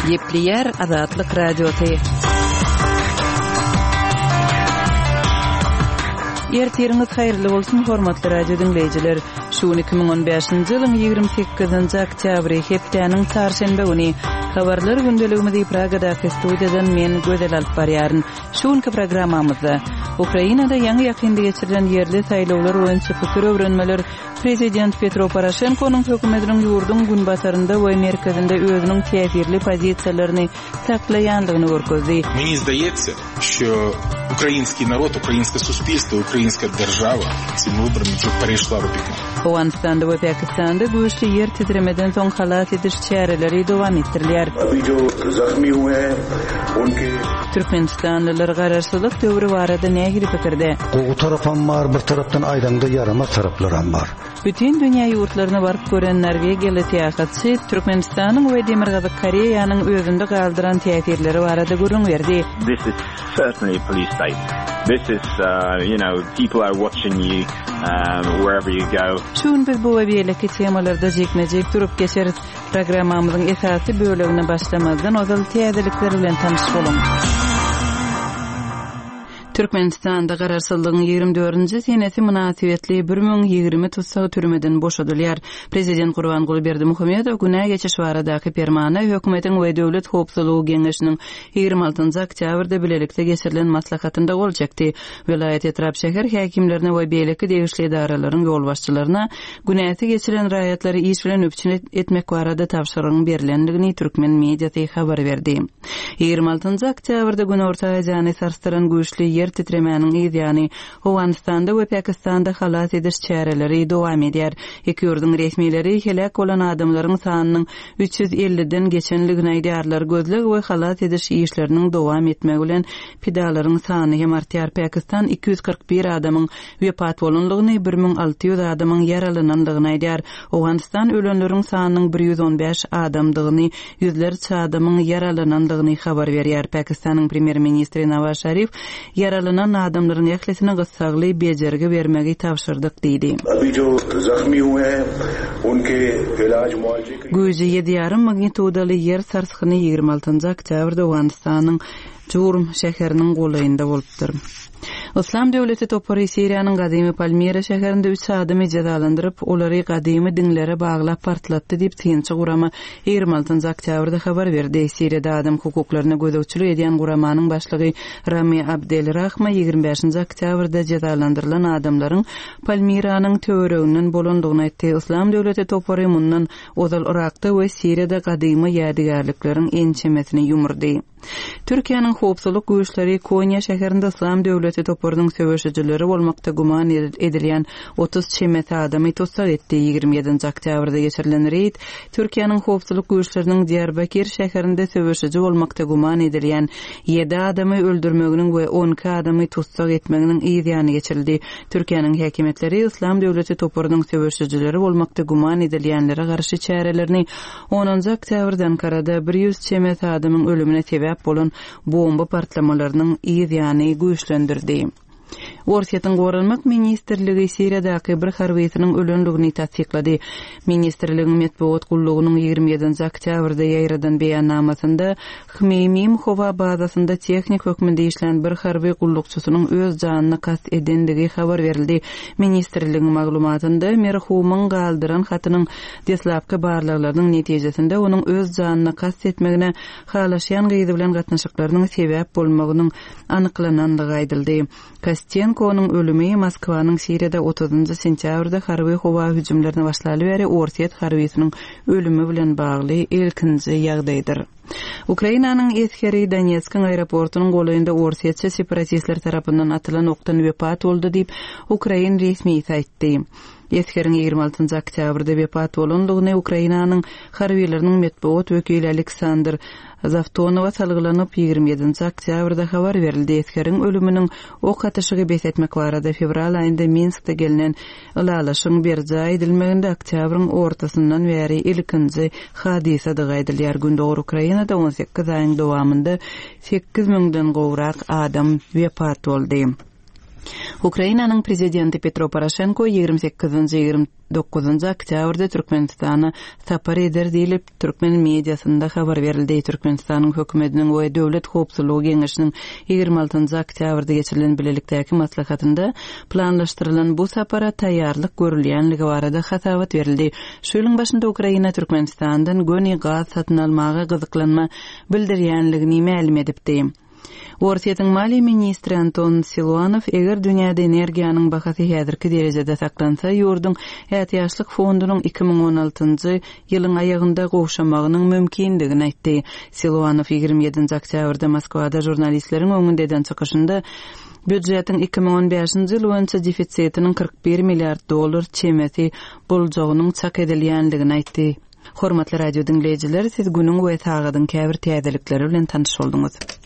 Gepleýär Azatlyk Radiosy. Ertiriňiz haýyrly bolsun, hormatly radio diňleýjiler! Şu gün 2015-nji ýylyň 28-nji oktýabry, hepdäniň çarşenbe güni. Habarlar gündeligimizi Pragadaky studiýadan men Gözel alyp barýaryn. Şu günki programmamyzda Ukrainada ýaňy-ýakynda geçirilen ýerli saýlawlar boýunça pikir öwrenmeler prezident Petro Poroşenkonyň hökümetiniň ýurduň günbatarynda we merkezinde özüniň täsirli pozisiýalaryny saklaýandygyny görkezdi. Meni zdaýetsa, şo ukrainskiý narod, ukrainskoe suspilstwo, ukrainskaýa deržawa simi wyborami wdrug pereşla rubikon. Owganystanda we Pakistanda güýçli ýer titremeden soň halas ediş çäreleri dowam etdirilýär. Türkmenistanlylar garaşsyzlyk döwri barada nähili pikirde? Gowy tarapam bar, bir tarapdan aýdaňda ýaramaz taraplaram bar. Bütin dünýä ýurtlaryna baryp gören norwegiýaly syýahatçy Türkmenistanyň we Demirgazyk Koreýanyň özünde galdyran täsirleri barada gürrüň berdi. This is certainly a police state. This is, you know, people are watching you wherever you go. Şu gün biz bu we beýleki temalarda jikme-jik durup geçeris. Programmamyzyň esasy bölegine başlamazdan ozal täzelikler bilen tanyş boluň. Türkmenistanda Garaşsyzlygyň 24-nji senesi mynasybetli 1020 tussag türmeden boşadylýar. Prezident Gurbanguly Berdimuhamedow günä geçiş baradaky permana hökümetiň we Döwlet howpsuzlygy geňeşiniň 26-njy oktýabrda bilelikde geçirilen maslahatynda gol çekdi. Welaýat, etrap, şäher häkimlerine we beýleki degişli edaralaryň ýolbaşçylaryna günäsi geçilen raýatlary iş bilen üpjün etmek barada tabşyrygyň berlendigini türkmen mediasy habar berdi. 26-njy oktýabrda Günorta Aziýany sarsdyran güýçli ýer titremäniň yz ýany, Owganystanda we Pakistanda halas ediş çäreleri dowam edýär. Iki ýurduň resmileri heläk bolan adamlaryň sanynyň 350-den geçenligini aýdýarlar. Gözleg we halas ediş işleriniň dowam etmegi bilen pidalaryň sany hem artýar. Pakistan 241 adamyň wepat bolanlygyny, 1600 adamyň ýaralananlygyny aýdýar. Owganystan ölenleriň sanynyň 115 adamdygyny, ýüzlerçe adamyň ýaralanandygyny habar berýär. Pakistanyň premýer-ministri Nawaz Şarif ýaralanan adamlaryň ählisine gyssagly bejergi bermegi tabşyrdyk diýdi. Güýji ýedi ýarym magnitudaly ýer sarsgyny 26 oktýabrda Owganystanyň Jurm şäheriniň golaýynda bolupdyr. Yslam döwleti topary Siriýanyň gadymy Palmira şäherinde üç adamy jezalandyryp, olary gadymy diňlere baglap partlatdy diýip, synçy gurama 26 oktýabrda habar berdi. Siriýada adam hukuklaryna gözegçilik edýän guramanyň başlygy Rami Abdel Rahma 25 oktýabrda jezalandyrylan adamlaryň Palmiranyň töwereginden bolandygyny aýtdy. Yslam döwleti topary mundan ozal Yrakda we Siriýada gadymy ýadygärlikleriň ençemesini ýumurdy. Türkiýäniň howpsuzlyk güýçleri Konýa şäherinde Yslam döwleti toparynyň söweşijileri bolmakda güman edilýän 30 çemesi adamy tussag etdi. 27-nji oktýabrda geçirilen reýd Türkiýäniň howpsuzlyk güýçleriniň Diýarbakir şäherinde söweşiji bolmakda güman edilýän ýedi adamy öldürmeginiň we 12 adamy tussag etmeginiň yz ýany geçirildi. Türkiýäniň häkimiýetleri Yslam döwleti toparynyň söweşijileri bolmakda güman edilýänlere garşy çärelerini Onunjy oktýabrda Ankarada 100 çemesi adamyň ölümine sebäp bolan bomba partlamalarynyň yz ýany güýçlendirdi. Orsýetiň Goranmak ministrligi Siriýadaky bir harbysynyň ölendigini tassyklady. Ministrligiň metbugat gullugynyň 27-nji oktýabrda ýaýradan beýannamasynda Hmeýmim howa bazasynda tehnik hökmünde işlän bir harby gullukçysynyň öz janyna kast edendigi habar berildi. Ministrligiň maglumatynda merhumyň galdyran hatynyň Deslapky barlaglarynyň netijesinde onuň öz janyna kast etmegine halaşýan gyzy bilen gatnaşyklarynyň sebäp bolmagynyň anyklanandygy aýdyldy. Kostenkonyň ölümi Moskwanyň Siriýada otuzynjy sentýabrda harby howa hüjümlerini başlaly bäri orsýet harbysynyň ölümi bilen bagly ilkinji ýagdaýdyr. Ukrainanyň esgeri Donetskiň aeroportunyň golaýynda orsýetçi separatistler tarapyndan atylan okdan wepat boldy diýip, ukrain resmisi aýtdy. Esgeriň 26 oktýabrda wepat bolandygyny Ukrainanyň harbylarynyň metbugat wekili Aleksandr Zawtonowa salgylanyp, 27 oktýabrda habar berildi. Esgeriň ölüminiň ok atyşygy bes etmek barada fewral aýynda Minskde gelnen ylalaşygyň berjaý edilmeginde oktýabryň ortasyndan bäri ilkinji hadysadygy aýdylýar. Gündogar Ukrainada 18 aýyň dowamynda 8 müňden gowrak adam wepat boldy. Ukrainanyň Prezidenti Petro Poroşenko 28-nji, 29-njy oktýabrda Türkmenistana sapar eder diýlip, türkmen mediasynda habar berildi. Türkmenistanyň Hökümetiniň we Döwlet howpsuzlygy geňeşiniň 26-njy oktýabrda geçirilen bilelikdäki maslahatynda planlaşdyrylan bu sapara taýýarlyk görülýänligi barada hasabat berildi. Şu ýylyň başynda Ukraina Türkmenistandan göni gaz satyn almaga gyzyklanma bildirýänligini mälim edipdi. Orsýetiň maliýe ministri Anton Siluanow eger dünýäde energiýanyň bahasy häzirki derejede saklansa, ýurduň ätiýaçlyk fondunyň 2016-njy ýylyň aýagynda gowşamagynyň mümkindigini aýtdy. Siluanow 27-nji oktýabrda Moskwada žurnalistleriň öňünde eden çykyşynda býujetiň 2015-nji ýyl boýunça defisitiniň 41 milliard dollar çemesi boljagynyň çak edilýändigini aýtdy. Hormatly radio diňleýjiler, siz günüň we sagadyň käbir täzelikleri bilen tanyş bolduňyz.